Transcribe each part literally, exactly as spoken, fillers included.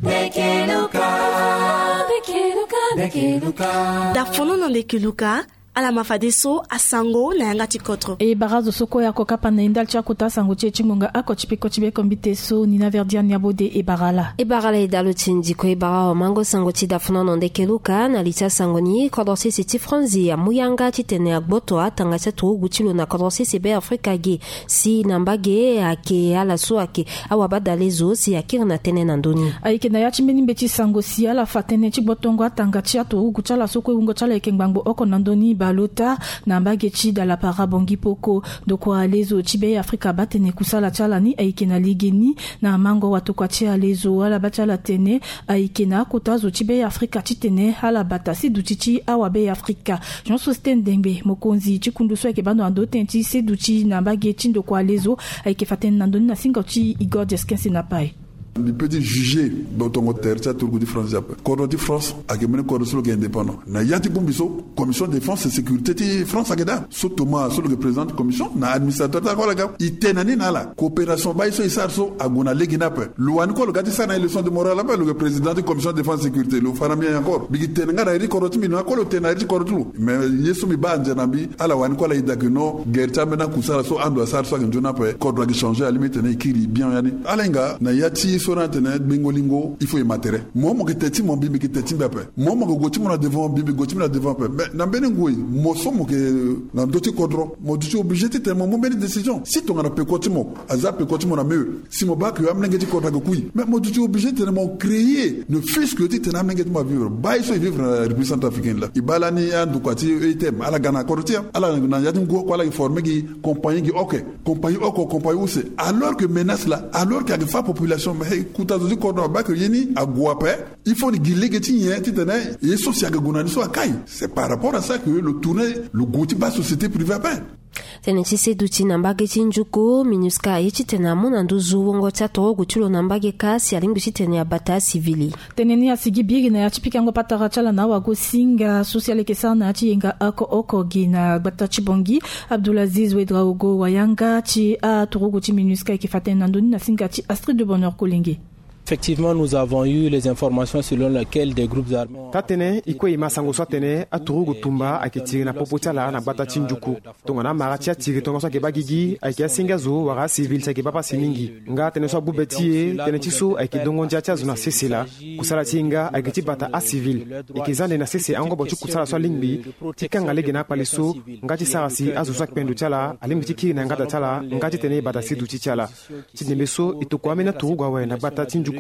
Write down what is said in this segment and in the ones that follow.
Ndeke Luka. Ndeke Luka, ndeke Luka. Dafono na ndeke Luka. Ala ma fadeso asango na yanga ti kodro. E bara azo so kue ako kapa na e ndali ti akota sango ti e ti ngonga ako ti peko ti beko mbite so ni na verdi ania bode e bara ala. E bara ala e dalo ti ndiko e bara awamango sango ti dafono na ndeke Luka na li ti asango ni kodro sese ti Franzi amu yanga titene agboto atanga ti aturugu ti lo na kodro sese Be Afrika ge. Si na mbage ayeke ala so ayeke awabadale zo si akiri na tënë na ndö ni. Ayeke na ya ti mbeni mbeti sango si ala fa tënë ti gbotongo atanga ti aturugu ti ala so kue wungo ti ala ayeke ngbangbo oko na ndö ni baleota na mbage ti dalapara bongi poko. Ndokua lezo ti Be Afrika abaa tene kusala ti ala ni ayeke na legeni na mango watokua ti alezo ala baa ti ala tene ayeke na akota zo ti Be Afrika titene ala bata si duti ti awa Be Afrika. Jean Sosthène Dengbe, mokonzi ti kundu so ayeke baa ndo na ndo tënë ti seduti na mbage ti ndokua lezo, ayeke fa tënë na ndö ni na singo ti Igor Diasquin Senapai. Mbi peut ti juger botongo tere ti aturugu ti France ape. Kodro ti France ayeke mbeni kodro so lo yeke indépendant. Na ya ti bongbi so, commission défense et sécurité ti France ayeke daa. So Thomas so lo yeke président ti commission na administrateur ti akua ala ga. E tene na ni na ala coopération baa ye so e sara so ague na lege ni ape. Lo wani kue lo ga ti sara na e leçon de morale ape, lo yeke président ti commission défense sécurité, lo fa na mbi encore. Mbi yeke tene nga na iri ti kodro ti mbi, lo na kue lo tene na iri ti kodro ti lo. Mais ye so mbi baa anzere na mbi, ala wani kue ala ida ke non, guerre ti ambeni akusala so ando asara so ayeke nzoni ape, kodro ayeke changer, alingbi titene e kiri bien ya ni. Ala hinga na ya ti so ni atene gbengo lingo, il faut e ma tere. Mo, mo yeke te ti mo, mbi, mbi yeke te ti mbi ape. Mo, mo yeke gue ti mo na devant, mbi, mbi gue ti mbi na devant ape. Mais na mbeni ngoi, mo so mo yeke na ndö ti kodro, mo duti obligé titene mo mu mbeni décision. Si tongana peko ti mo aza peko ti mo na mur, si mo baa ke amolenge ti kodro ayeke kui, mais mo duti obligé titene mo créer ne fût-ce que titene amolenge ti mo avivre. Baa ye so e vivre na République centrafricaine laa, e baa lani andokua ti E T M ala ga na kodro ti e, ala na ya ti ngu oko ala yeke former gi compagnie gi oko, compagnie oko, compagnie use. Alors que menace laa, alors que ayeke fâ population, mais kota zo ti kodro abaa ke ye ni ague ape. Il faut ni gi lege ti nyen titene ye so si ayeke gue na ni so akai. C'est par rapport à ça que lo tourner lo gue ti baa société privée ape. Tënë ti seduti na mbage ti njuku, MINUSCA aye titene amu na nduzu wungo ti aturugu ti lo na mbage kâ si alingbi titene abata asivili. Tënë ni asigi biri na ya ti pikango patara ti ala na awagosinga so si ala yeke sara na ya ti yenga oko oko gi na gbata ti Bangui. Abdoulaziz Ouedraogo, wayanga ti aturugu ti MINUSCA, ayeke fa tënë na ndö ni na singa ti Astrid de Bonheur Kolenge. Effectivement, nous avons eu les informations selon lesquelles des groupes armés ont... Taa-tënë, e kue e ma sango so atene aturugu tumba ayeke tiri na popo ti ala na gbata ti njuku. Tongana amara ti atiri tongaso ayeke baa gigi, ayeke asenge azo wala acivil si ayeke baa pasi mingi. Nga tënë so abu be ti e, tënë ti so ayeke dongo ndia ti azo na sese laa. Kusala ti e nga ayeke ti bata acivil. E yeke za ande na sese angobo ti kusala so alingbi ti kanga lege na akpale so, nga ti sara si azo so akpe ndo ti ala alingbi ti kiri na yanga da ti ala, nga titene e bata si duti ti ala. Ti ndembe so e tokua ambeni aturugu awe na gbata ti njuku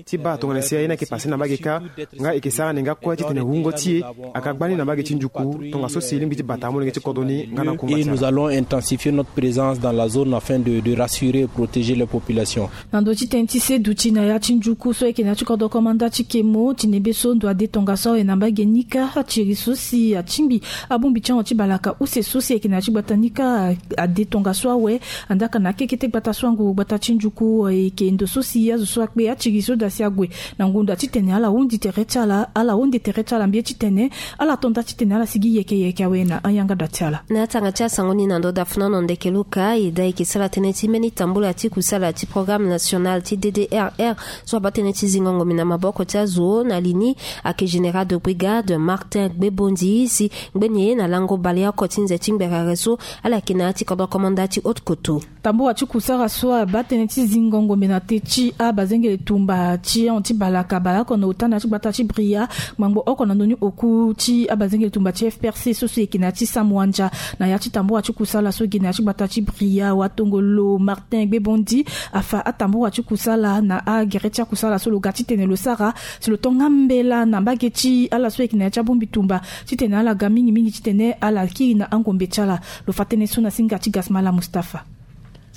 ti baa tongana si aye ni ayeke pase na mbage kâ, nga e yeke sara ni nga kue titene wungo ti e ayeke agba ni na mbage ti njuku tongaso si e lingbi ti bata amolenge ti kodro ni nga na kunga ti ala. Et nous allons intensifier notre présence dans la zone afin de, de rassurer et protéger les populations. Na ndö ti tënë ti seduti na ya ti njuku so ayeke na ya ti kodro komanda ti Kemo, ti ndembe so ndo ade tongaso awe na mbage ni kâ, atiri so si atingbi abongbi ti ahon ti balaka use so si ayeke na ya ti gbata ni kâ ade tongaso awe. Andaa ka na akekete gbata so anguru gbata ti njuku, e, ayeke ndo so si azo so akpe atiri so daa si ague na ngonda titene ala hundi tere ti ala, ala hunde tere ti ala mbi ye titene ala to nda titene ala sigi yeke yeke awe na ayanga da ti ala. Na atanga ti asango ni na ndo dafuna na ndeke luka, e daa e yeke sara tënë ti mbeni tambula ti kusala ti programme national ti D D R R so abaa tënë ti zingo ngombe na maboko ti azo na li ni ayeke général de brigade Martin Gbebondi, si ngbeni ye na lango baleoko ti nze ti ngberere so ala yeke na ya ti kodro komanda ti haute koto. Tambula ti kusala so abaa tënë ti zingo ngombe na te ti abazengele tumba ti ahon ti balaka baleoko na ota na ya ti gbata ti Bria, ngbangbo oko na ndoni oku ti abazengele tumba ti F P R C so so e yeke na ya ti Samuandia. Na ya ti tambula ti kusala so e ge na ya ti gbata ti Bria, watongolo Martin Gbebondi afa atambula ti kusala na agere ti akusala so lo ga titene lo sara si lo to nga mbela na mbage ti ala so e yeke na ya ti abongbi tumba titene ala ga mingi mingi titene ala kiri na angombe ti ala. Lo fa tënë so na singa ti Gasmala Mustapha.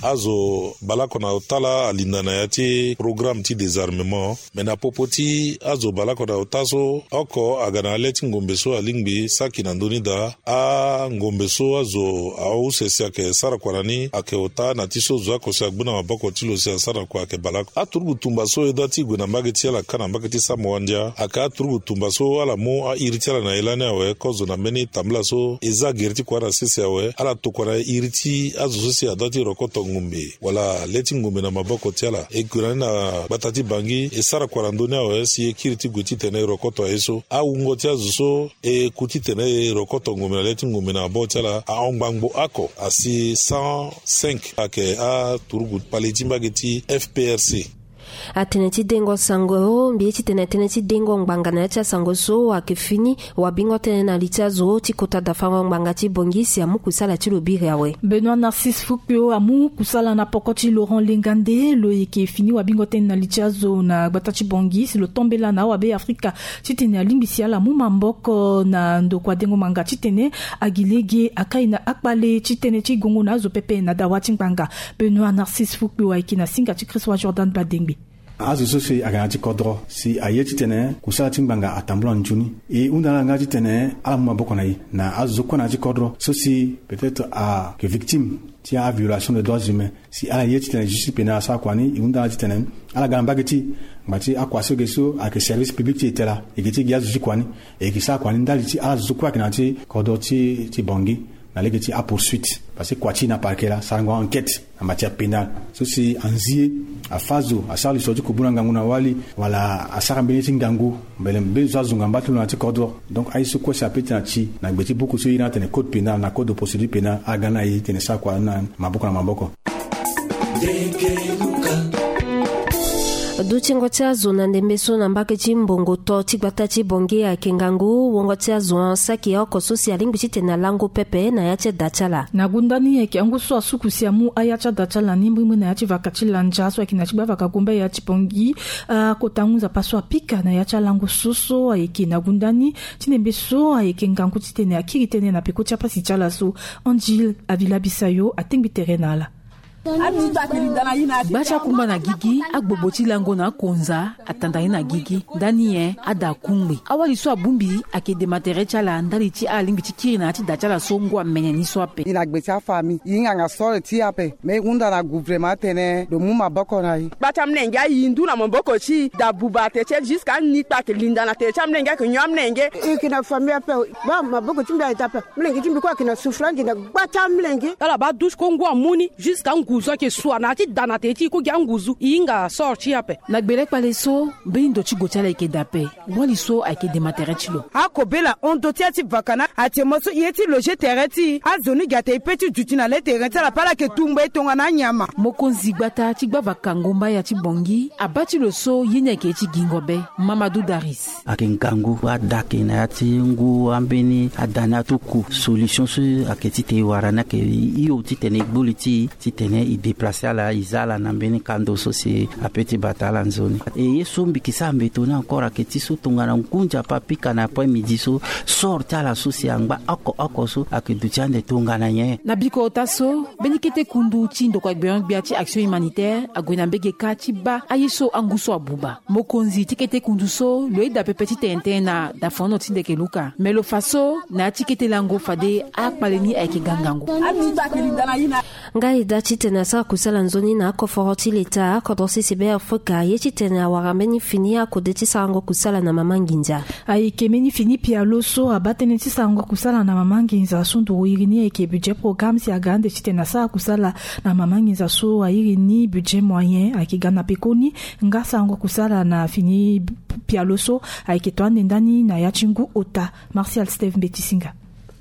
Azo baleoko na ota laa alinda na ya ti programme ti désarmement. Me na popo ti azo baleoko na ota so, oko aga na le ti ngombe so alingbi saki na ndö ni daa. Angombe so azo ause si ayeke sara kua na ni ayeke ota na ti so zo oko si agbu na maboko ti lo si asara kua ayeke baleoko. Aturugu tumba so e daa ti gue na mbage ti ala kâ na mbage ti Samuandia ayeke aturugu tumba so ala mu airi ti ala na e lani awe kozo na mbeni tambula so e za gere ti kua na sese awe. Ala tokua na iri ti azo so si adaa ti rokoto ngombe wala le ti ngombe na maboko ti ala. E gue na ni na gbata ti Bangui, e sara kua na ndö ni awe si e kiri ti gue titene e rokoto aye so. Awungo ti azo so e ku titene e rokoto ngombe na le ti ngombe na maboko ti ala ahon ngbangbo oko asi cent cinq ayeke aturugu kpale ti mbage ti F P R C. Atënë ti dengo sango, mbi ye titene tënë ti dengo ngbanga na ya ti asango so ayeke fini. Wabingo tënë na li ti azo ti kota dafango ngbanga ti Bangui si amu kusala ti lo biri awe. Benoît Narcisse Fukpio amu kusala na poko ti Laurent Lengande, lo yeke fini wabingo tënë na li ti azo na gbata ti Bangui si lo tombela na awabe Afrika titene alingbi si ala mu maboko na ndokua dengo ngbanga titene agi lege akai na akpale ti tënë ti gongo na azo pepe na dawa ti ngbanga. Benoît Narcisse Fukpio ayeke na singa ti Christ wa Jordan Badengbe. Azo so si ayeke na ya ti kodro si aye titene kusala ti ngbanga atambula nzoni, e hunda na ala nga titene ala mu maboko na e na azo so kue na ya ti kodro so si peut-être ayeke victime ti aviolation de droits humains. Si ala ye titene justice pénale asara kua ni, e hunda na ala titene ala ga na mbage ti ngba ti akua so ge so ayeke service public ti e tela, e ge ti gi azo ti kua ni, e yeke sara kua ni ndali ti ala zo so kue ayeke na ya ti kodro ti ti Bangui na lege ti apoursuite. Parce que kua ti e na parquet laa sarango enquête na matière pénale. So si anzi ye, afâ zo, asara lisoro ti kubu na ngangu na wali, wala asara mbeni ye ti ngangu, mbele mbeni zo azunga mba ti lo na ya ti kodro. Donc aye so kue si ape ti na ti na gbe ti buku so e iri atene code pénal na code de procédure pénale, aga na e titene sara kua na maboko na maboko. Dutingo ti azo na ndembe so na mbage ti mbongo to ti gbata ti Bangui ayeke ngangu. Wongo ti azo saki oko so si alingbi titene alango pepe na ya ti ada ti ala. Na gunda ni ayeke angu so asuku si amu aya ti ada ti ala ni mbirimbiri na ya ti vaka ti Landja so ayeke na ti gbavaka gumba ya ti Bangui. Akota ngu nzapa so apika na ya ti alango so so ayeke na gunda ni ti ndembe so ayeke ngangu titene akiri tënë na peko ti apasi ti ala so. Angile Avila Bisayo atengbi tere na ala. Gba ti akumba na gigi, agbogbo ti lango na akonza atanda ye na gigi. Ndani nyen? Ada akungbi. Awali so abongbi ayeke dema tere ti ala ndali ti ala lingbi ti kiri na ya ti da ti ala so ngu amene ni so ape. E na gbe ti afamille, e hinga nga sore ti e ape. Me e hunda na gouvernement atene lo mu maboko na e. Gba ti amolenge ayi ndu na maboko ti e, da buba na tere ti e, jusqu'à ni kpa ayeke linda na tere ti amolenge ayeke nyon amolenge. E yeke na famille ape. Baa maboko ti mbi ayeke ape. Molenge ti mbi kue ayeke na souffrance na gba ti amolenge. Ala baa douche kue ngu amu ni jusqu'à nguzu ayeke sua na ya ti da na tere ti e kue gi anguzu. E hinga sort ti e ape. Na gbele kpale so mbeni ndo ti gue ti ala ayeke daa ape. Wali so ayeke dema tere ti lo. Akobela hon ndo ti ya ti vaka na atene mo so e ye ti loger tere ti e. Azo ni gi atene e pe ti duti na le tere ti ala pe ala yeke tumba e tongana anyama. Mokonzi gbata ti gbavaka ngomba ya ti Bangui abaa ti lo so ye ni ayeke ye ti gingo be. Mamadou Daris. Ayeke ngangu ada ayeke na ya ti ngu ambeni ada ni atuku solution so ayeke titene e wara ni ayeke hio titene e gbu li ti e titene e déplacer ala e zia ala na mbeni kando so si ape ti bata ala nzoni. E ye so mbi yeke sara mbeto ni encore ayeke ti so tongana ngu nzapa apika na après midi so sort ti ala so si angba oko oko so ayeke duti ande tongana nyen? Na bikota so mbeni kete kundu ti ndokua gbia gbia ti Action Humanitaire ague na mbege kâ ti baa aye so angu so abuba. Mokonzi ti kete kundu so lo yeda pepe titene tënë na dafono ti ndeke luka. Me lo fa so na ya ti kete lango fade akpale ni ayeke ga ngangu. Nga e daa titene asara kusala nzoni na akoforo ti leta, akodro sese be Afrika aye titene awara mbeni fini akode ti sarango kusala na mama nginza. Ayeke mbeni fini pialo so abaa tënë ti sarango kusala na mama nginza so nduru iri ni ayeke budget programme si aga ande titene asara kusala na mama nginza so airi ni budget moyen ayeke ga na pekoni. Nga sarango kusala na fini pialo so ayeke to ande ndani na ya ti ngu ota. Martial Steve Mbetisinga.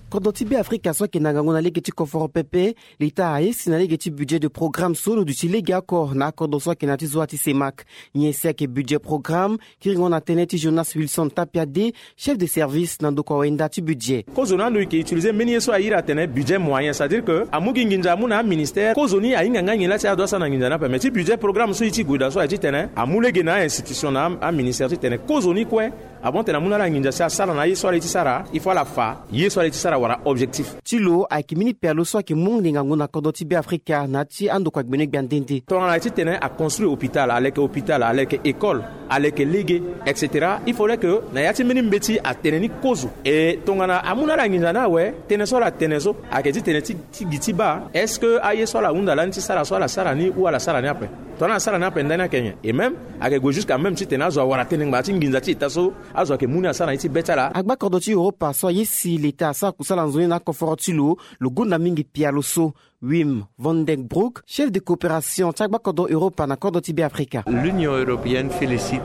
Kodro ti Beafrika so ayeke na ngangu na lege ti koforo pepe, leta aye si na lege ti budget de programme so lo duti lege oko na akodro so ayeke na ya ti zoa ti CEMAC. Nyen si ayeke budget programme? Kiringo na tënë ti Jonas Wilson Tapiade, chef de service na ndokua wenda ti budget. Kozoni ando e yeke utiliser mbeni ye so a iri atene budget moyen, c'est-à-dire que amu gi nginza amu na aministère. Kozoni ahinga nga nyen la si ado asara na nginza ni ape. Mais ti budget programme so e ti gue daa so aye titene amu lege na a-institution na aministère titene kozoni kue avant tene amu na ala nginza si asara na aye so ala ye ti sara, il faut ala fa ye so ala ye ti sara wala objectif. Ti lo ayeke mbeni pialo so ayeke mu ngangu na kodro ti Beafrika na ya ti andokua gbene gbia nde nde. Tongana aye titene aconstruire hôpital, aleke hôpital, aleke école, aleke lege, et cetera. Il faudrait que na ya ti mbeni mbeti atene ni kozo. E tongana amu na ala nginza ni awe, tënë so ala tene so ayeke titene ti, ti gi ti baa est-ce que aye so ala hunda lani ti sara so ala sara ni ou ala sara ni ape? Tongana ala sara ni ape ndani ayeke nyen? Et même ayeke gue jusqu'à même titene azo awara tënë ngbanga ti nginza ti ita so azo ayeke mu ni asara na ye ti be ti ala. Agba kodro ti Europa so aye si leta asara kusala nzoni na akoforo ti lo, lo gonda mingi pialo so. Wim van den Broek, chef de coopération ti agbakodro Europa na kodro ti Beafrika. L'Union européenne félicite.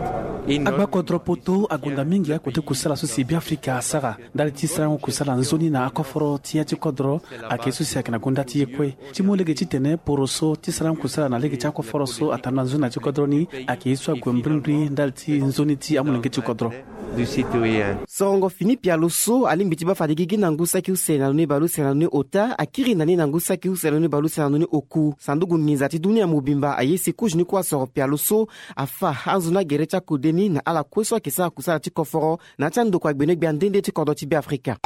Agbakodro poto agonda mingi akota kusala so si Beafrika asara ndali ti sarango kusala nzoni na akoforo ti ya ti kodro. Ayeke so si ayeke na gonda ti ye kue ti mu lege titene poroso ti sarango kusala na lege ti akoforo so atambula nzoni na ya ti kodro ni ayeke ye so ague mbrimbri ndali ti nzoni ti amolenge ti kodro. Sorongo fini pialo so alingbi ti baa fade gigi na ngu saki use na lo ni baleuse na lo ni ota akiri na ni na ngu saki use na lo ni baleuse na lo ni oku. Sanduku nginza ti dunia mobimba aye si kozo ni kue asoro pialo so afa anzoni agere ti akode ni na ala kue so ayeke sara kusala ti koforo na ya ti andokua gbenegbia nde nde ti kodro ti Beafrika.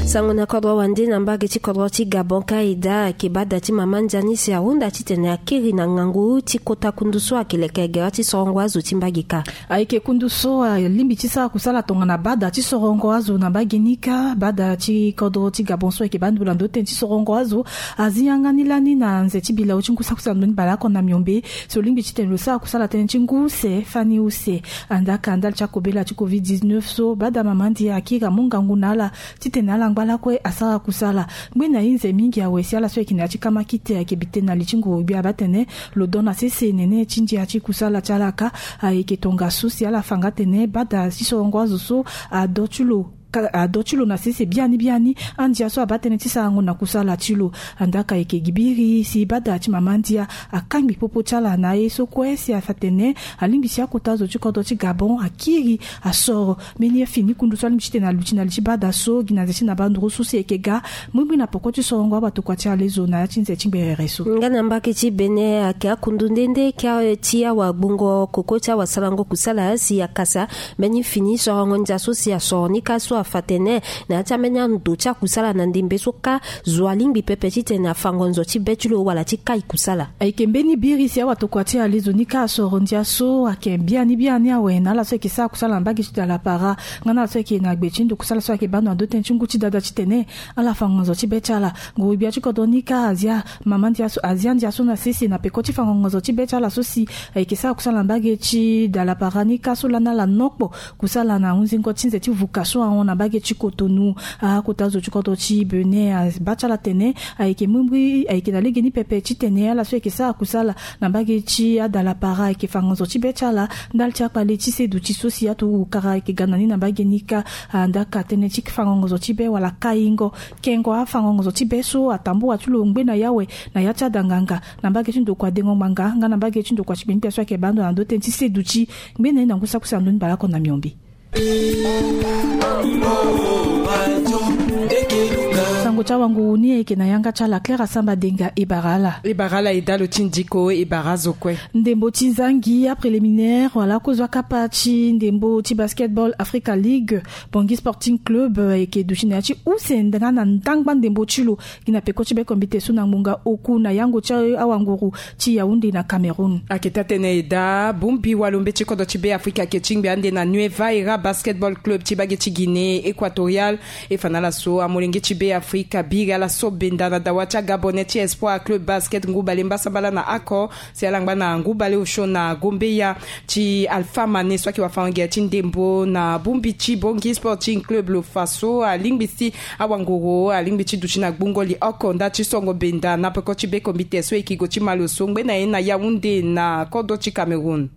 Sango na kodro wande na mbage ti kodro ti Gabon ka eda ayeke baa da ti mama ndia ni si ahunda titene akiri na ngangu ti kota kundu so ayeke leke gere ti sorongo azo ti mbage kâ. Ayeke kundu so alingbi ti sara kusala tongana baa da ti sorongo azo na mbage ni kâ. Baa da ti kodro ti Gabon so ayeke baa ndula ndo tënë ti sorongo azo azi yanga ni lani na nze ti bilau ti ngu saki use na ndo ni baleoko na miombe. So lingbi titene lo sara kusala tënë ti ngu use fani use. Andaka ndali ti akobela ti covid dix-neuf so baa da mama ndia akiri amu ngangu na ala titene ala ngba lakue asara kusala. Ngbene ahinze mingi awe si ala so ayeke na ya ti kamakite ayeke bi tënë na li ti nguru-gbia baa tene lo don na sese nene ti ndia ti kusala ti ala kâ. Ayeke tongaso si ala fa nga tene baa da ti sorongo azo so ado ti lo ka ado ti lo na sese biani biani. Andia so abaa tënë ti sarango na kusala ti lo. Andaka ayeke gi biri si baa da ti mama ndia akangbi popo ti ala na aye so kue si afa tene alingbi si akota zo ti kodro ti Gabon akiri asoro mbeni fini kundu so alingbi titene aluti na li ti baa da so gi na nze ti na banduru so si ayeke ga mbrimbri na poko ti sorongo awatokua ti alezo na ya ti nze ti ngberere so. Nga na mbage ti Bénin ayeke akundu nde nde kâ ti awagbongo koko ti awasarango kusala si akasa mbeni fini sorongo ndia so si asoro ni kâ so afa tene na ya ti ambeni ando ti akusala na ndembe so kâ zo alingbi pepe titene afa ngonzo ti be ti lo wala ti kai kusala. Ayeke mbeni biri si awatokua ti alezo ni kâ asoro ndia so ayeke biani biani awe na ala so ayeke sara kusala na mbage ti dalapara nga na ala so ayeke na gbe ti ndo kusala so ayeke baa ndo na ndo tënë ti ngu ti dada titene ala fa ngonzo ti be ti ala. Nguru-gbia ti kodro ni kâ azia mama ndia so azia ndia so na sese na peko ti fa ngonzo ti be ti ala so si ayeke sara kusala na mbage ti dalapara ni kâ so lani ala nokpo kusala na hunzingo ti nze ti vuka so ahon na mbage ti Cotonou. Akota zo ti kodro ti Bénin abaa ti ala tene ayeke mbrimbri ayeke na legeni pepe titene ala so ayeke sara kusala na mbage ti adalapara ayeke fa ngonzo ti be ti ala ndali ti akpale ti seduti so si aturugu kara ayeke ga na ni na mbage ni kâ. Andaka tënë ti fango ngonzo ti be wala kaingo kengo afango ngonzo ti be so atambua ti lo ngbe na yawe na ya ti adanganga na mbage ti ndokua dengo ngbanga nga na mbage ti ndokua ti gbengbia so ayeke baa ndo na ndo tënë ti seduti ngbe na ye na ngu saki use na ndo ni baleoko na miombe. Sango ti awanguru ni ayeke na yanga ti ala Claire Asamba Denga. E bara ala. E bara ala e dalo ti ndiko e bara azo kue. Ndembo ti zangi apréliminaire wala akozo akapa ti ndembo ti basketball Africa League Bangui Sporting Club ayeke duti na ya ti use nga na ndangba ndembo ti lo gi na peko ti be kombite so na ngbonga oku na yango ti awanguru ti Yaoundé na Cameroun. Ayeke taa-tënë e daa bongbi walombe ti kodro ti Be Afrika ayeke tingbi ande na Nueva Era Basketball Club ti bage ti Guinée Équatoriale. E fa na ala so amolenge ti Be Afrika biri ala so benda na dawa ti aGabonais ti Espoir Club Basket ngu bale mbasambala na oko si ala ngba na ngu bale osio na gombeya ti Alpha Mané so ayeke wafango-gere ti ndembo na bongbi ti Bangui Sporting Club lo fa so alingbi si awanguru alingbi ti duti na gbungo li oko nda ti songo benda na peko ti be kombite so e yeke gue ti malo so ngbe na ye na Yaoundé na kodro ti Cameroun.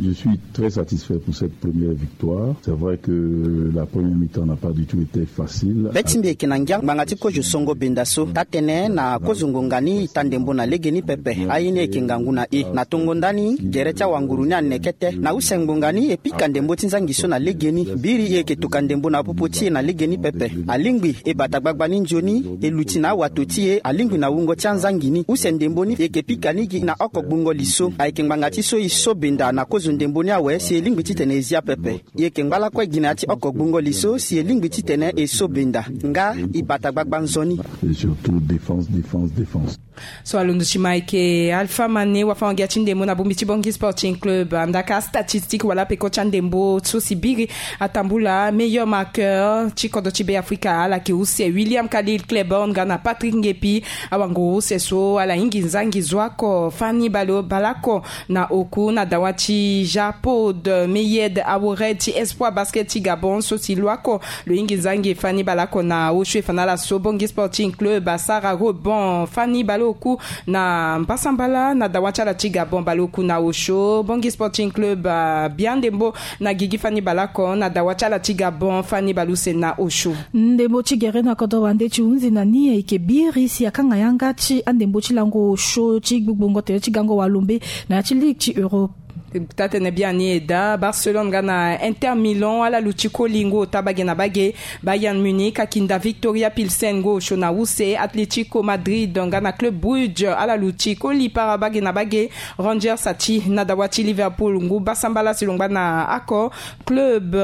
Je suis très satisfait pour cette première victoire. C'est vrai que la première mi-temps n'a pas du tout été facile. Be ti mbi ayeke na ngia ngbanga ti kozo songo benda so. Taa-tënë na kozo ngonga ni e taa ndembo na legeni pepe. Aye ni ayeke ngangu na e. Na tongo ndani gere ti awanguru ni aneke tê. Na use ngbonga ni e pika ndembo ti nzangi so na legeni. Biri e yeke toka ndembo na popo ti e na legeni pepe. Alingbi e bata gbagba ni nzoni e luti na awato ti e alingbi na wungo ti anzangi ni. Use ndembo ni e yeke pika ni gi na oko gbungo li so. Ayeke ngbanga ti so e so benda na kozo ndembo ni awe si e lingbi titene e zia pepe. E yeke ngba lakue gi na ya ti oko gbungo li so si e lingbi titene e so benda nga e bata gbagba nzoni. Et surtout défense, défense, défense. So alondo ti ma ayeke Alpha Mané wafango-gia ti ndembo na bongbi ti Bangui Sporting Club. Andaka astatistique wala peko ti andembo so si biri atambula meilleur marqueur ti kodro ti Be Afrika ala yeke use William Khalil Cleborne nga na Patrick Ngepi. Awanguru use so ala hingi nzangi zo oko fani baleoko na oku na dawa ti Japod meyed awored ti espoir basket ti gabon so si lo ako lo hingi nzangi fani baleoko na osio e fa na ala so bongi sporting club asara rebond fani baleoku na mpasambala na dawa ti ala ti gabon baleoku na osio bongi sporting club abia ndembo na gigi fani baleoko na dawa ti ala ti gabon fani baleuse na osio. Ndembo ti gere na kodro wande ti hunzi na ni ayeke biri si akanga yanga ti andembo ti lango osio ti gbugbongo tere ti gango walombe na ya ti ligue ti europe. Tatene biani eda barcelone nga na inter milan ala luti koli ngu ota bage na bage. Bayern munich akinda victoria pilsen ngu osio na use atletico madrid nga na club brugge ala luti koli para bage na bage. Rangers ati na dawa ti liverpool ngu basambala si lo ngba na ako. Club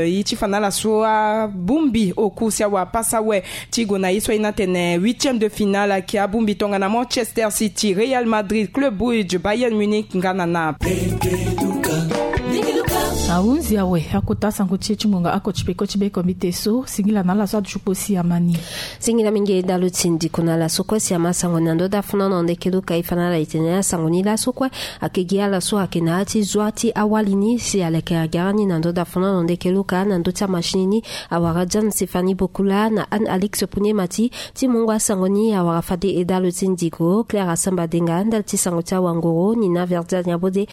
e ti fa na ala so abongbi oku si awa pasa awe ti gue na ye so aye ni atene huitième de finale ayeke abongbi tongana manchester city real madrid club brugge bayern munich nga na naples. Ahunzi awe akota sango ti e ti ngonga ako ti peko ti be komite so singila na ala so aduti kpo si ama ni. Singila mingi dalo ti ndiko na ala so kue si ama sango ni na ndo dafu na na ndeke luka e fa na ala e tene asango ni laso kue. Ake gi ala so ake na ya ti zua ti awali ni si aleke agara ni na ndo dafu na na ndeke luka na ndo ti amachine ni. Awara jan sifani bokula na anne alix punemati ti mungo asango ni awara fade e dalo ti ndiko claire asamba denga ndali ti sango ti awangoro ni na verdial nyabode.